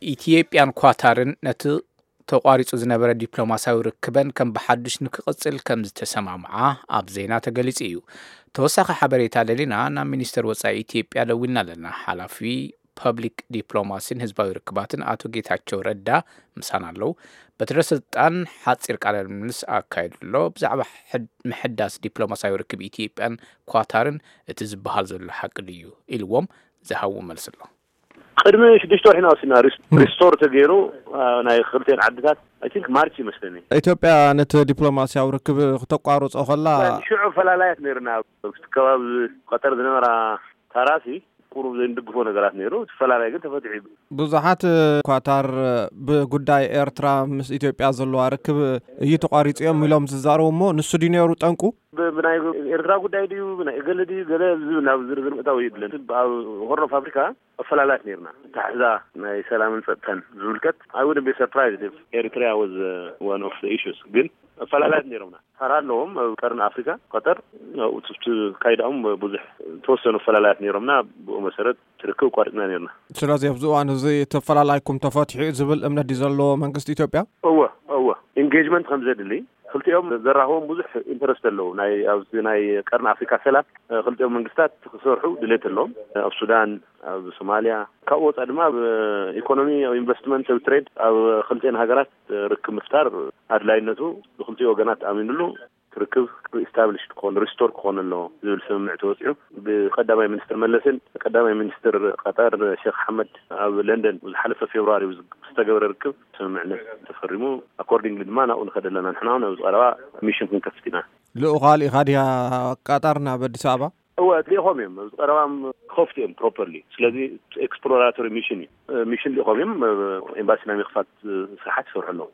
ኢትዮጵያን ኳታርን ነቲ ተቋሪጹ ዝነበረ ዲፕሎማሲያዊ ርክበን ከም ብሓዱሽ ንክቕጽል ከም ዝተሰማምዓ ኣብ ዜና ተገሊጹ እዩ። ተወሳኺ ሓበሬታ ደሊና ናብ ሚኒስተር ወጻኢ ኢትዮጵያ ደዊልና ኣለና። ሓላፊ ፐብሊክ ዲፕሎማሲን ህዝባዊ ርክባትን ኣቶ ጌታቸው ረዳ ምሳና ኣለዉ። በትረ ስልጣን ሓጺር ቃለ ምልልስ ኣካይዱ ኣሎ። ብዛዕባ ሕድ-፣ ምሕዳስ ዲፕሎማሲያዊ ርክብ ኢትዮጵያን ኳታርን እቲ ዝበሃል ዘሎ ሓቂ ድዩ ኢልዎም ዝሃቡ መልሲ ኣሎ። ቅድሚ ሽዱሽተ ወርሒ ኢና ወሲድና ሪስ-፣ ሪስቶር ተገይሩ፣ አ፣ ናይ ክልቲኤን ዓድታት፣ I think ማርች ይመስለኒ። ኢትዮጵያ ነቲ ዲፕሎማሲያዊ ርክብ ክተቋርጾ ከላ ሽዑ ፈላላያት ነይርና። ኣብቲ ከባቢ ቀጠር ዝነበራ ታራሲ ቁሩብ ዘይንድግፎ ነገራት ነይሩ። እቲ ፈላላይ ግን ተፈትሑ እዩ። ብዙሓት ኳታር ብጉዳይ ኤርትራ ምስ ኢትዮጵያ ዘለዋ ርክብ እዩ ተቋሪጹ እዮም ኢሎም ዝዛረቡ እሞ ንሱ ድዩ ነይሩ ጠንቁ? ብ-፣ ብናይ ኤርትራ ጉዳይ ድዩ፣ ብናይ እገለ ድዩ፣ ገለ ዝብል ናብ ዝርዝር ምእታው የድልን። ኣብ ሆርን ኦፍ ኣፍሪካ ኣፈላላያት ነይርና። ታሕዛ ናይ ሰላምን ጸጥታን ዝምልከት፣ I wouldn't be surprised if Eritrea was, uh, one of the issues። ግን ኣፈላላያት ነይሮምና። ተራ ኣለዎም ኣብ ቀርኒ ኣፍሪካ፣ ቀጠር፣ ኣብኡ ትካይዳኦም ብዙሕ ተወሰኑ ኣፈላላያት ነይሮምና። ብኡ መሰረት ትርክብ ኣቋሪጽና ነይርና። ስለዚ ኣብዚ እዋን እዚ ተፈላላይኩም ተፈትሑ እዩ ዝብል እምነት ድዩ ዘለዎ መንግስቲ ኢትዮጵያ? እወ፣ እወ። ኢንጌጅመንት ከም ዘድሊ፣ ክልቲኦም ዘራኽቦም ብዙሕ ኢንተረስት ኣለዉ። ናይ፣ ኣብዚ ናይ ቀርኒ ኣፍሪካ ሰላም፣ እ፣ ክልቲኦም መንግስታት ክሰርሑ ድሌት ኣለዎም። ኣብ ሱዳን፣ ኣብ ሶማልያ፣ ካብኡ ወፃእ ድማ ኣብ ኢኮኖሚ፣ ኣብ ኢንቨስትመንት፣ ኣብ ትሬድ፣ ኣብ ክልቲኤን ሃገራት ርክብ ምፍጣር ኣድላይነቱ ብክልቲኡ ወገናት ኣሚኑሉ፣ ርክብ ሪስታብሊሽ ክኾን፣ ሪስቶር ክኾን ኣለዎ ዝብል ስምምዕ ተወፂዑ። ብቀዳማይ ሚኒስትር መለስን ቀዳማይ ሚኒስትር ቀጠር ሼክ ሓመድ ኣብ ለንደን ዝሓለፈ ፌብርዋሪ ዝተገበረ ርክብ ስምምዕነት ተፈሪሙ። ኣኮርዲንግሊ ድማ ናብኡ ንኸድ ኣለና። ንሕና እውን ኣብዚ ቀረባ ሚሽን ክንከፍት ኢና። ልኡኻ ልኢኻ ድያ ቀጠር ናብ ኣዲስ ኣበባ? እወ፣ ልኢኾም እዮም። ኣብዚ ቀረባ ክኸፍቱ እዮም ፕሮፐርሊ። ስለዚ ኤክስፕሎራቶሪ ሚሽን እዩ። ሚሽን ልኢኾም እዮም። ኤምባሲ ናይ ምኽፋት ስራሓት ይሰርሑ ኣለዉ።